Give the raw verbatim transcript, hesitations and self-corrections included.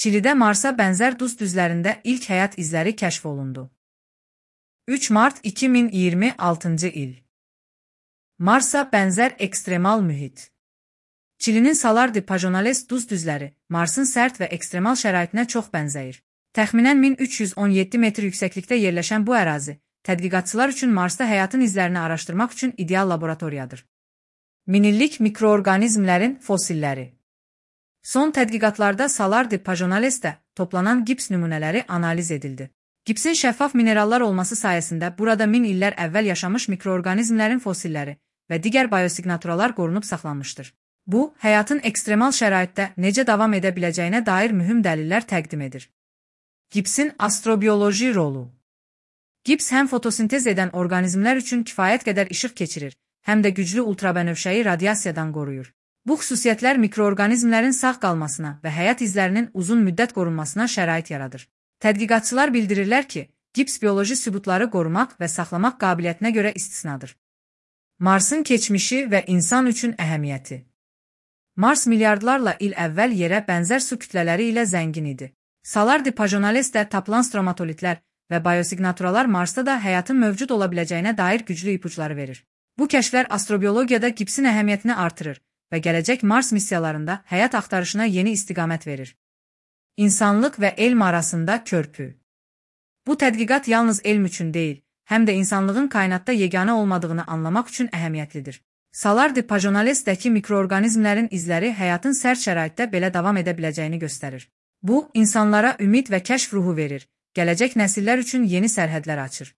Çilidə Marsa bənzər duz düzlərində ilk həyat izləri kəşf olundu. üç mart iki min iyirmi altıncı il. Marsa bənzər ekstremal mühit. Çilinin Salar de Pajonales duz düzləri Marsın sərt və ekstremal şəraitinə çox bənzəyir. Təxminən min üç yüz on yeddi metr yüksəklikdə yerləşən bu ərazi, tədqiqatçılar üçün Marsda həyatın izlərini araşdırmaq üçün ideal laboratoriyadır. Minillik mikroorqanizmlərin fosilləri. Son tədqiqatlarda Salar de Pajonalesdə toplanan gips nümunələri analiz edildi. Gipsin şəffaf minerallar olması sayəsində burada min illər əvvəl yaşamış mikroorqanizmlərin fosilləri və digər biosiqnaturalar qorunub saxlanmışdır. Bu, həyatın ekstremal şəraitdə necə davam edə biləcəyinə dair mühüm dəlillər təqdim edir. Gipsin astrobioloji rolu. Gips həm fotosintez edən orqanizmlər üçün kifayət qədər işıq keçirir, həm də güclü ultrabənövşəyi radiasiyadan qoruyur. Bu xüsusiyyətlər mikroorqanizmlərin sağ qalmasına və həyat izlərinin uzun müddət qorunmasına şərait yaradır. Tədqiqatçılar bildirirlər ki, gips bioloji sübutları qorumaq və saxlamaq qabiliyyətinə görə istisnadır. Marsın keçmişi və insan üçün əhəmiyyəti. Mars milyardlarla il əvvəl yerə bənzər su kütlələri ilə zəngin idi. Salar de Pajonalesdə tapılan stromatolitlər və biosiqnaturalar Marsda da həyatın mövcud ola biləcəyinə dair güclü ipuçları verir. Bu kəşflər astrobiologiyada gipsin əhəmiyyətini artırır və gələcək Mars missiyalarında həyat axtarışına yeni istiqamət verir. İnsanlıq və elm arasında körpü. Bu tədqiqat yalnız elm üçün deyil, həm də insanlığın kainatda yeganə olmadığını anlamaq üçün əhəmiyyətlidir. Salar de Pajonalesdəki mikroorqanizmlərin izləri həyatın sərt şəraitdə belə davam edə biləcəyini göstərir. Bu, insanlara ümid və kəşf ruhu verir, gələcək nəsillər üçün yeni sərhədlər açır.